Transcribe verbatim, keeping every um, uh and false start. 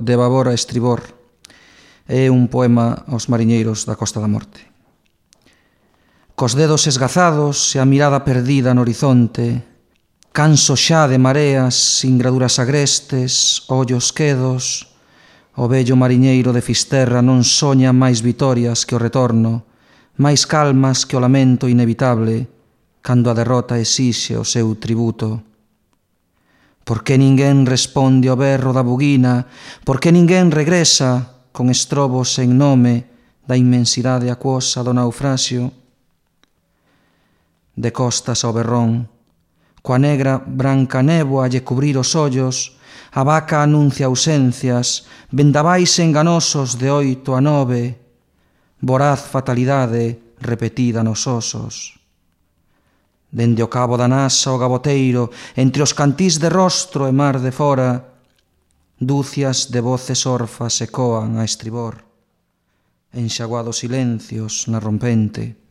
de babor a estribor. É un poema aos mariñeiros da Costa da Morte. Cos dedos esgazados e a mirada perdida no horizonte, canso xa de mareas, singraduras agrestes, ollos quedos, o vello mariñeiro de Fisterra non soña máis vitorias que o retorno, máis calmas que o lamento inevitable, cando a derrota exixe o seu tributo. Por que ninguén responde ao berro da buguina? Por que ninguén regresa con estrobos en nome da inmensidade acuosa do naufraxio? De costas ao berrón, coa negra branca néboa lle cubrir os ollos, a vaca anuncia ausencias, vendavais enganosos de oito a nove, voraz fatalidade repetida nos osos. Dende o cabo da Nasa o gaboteiro, entre os cantís de rostro e mar de fora, dúcias de voces orfas ecoan a estribor, enxaguados silencios na rompente.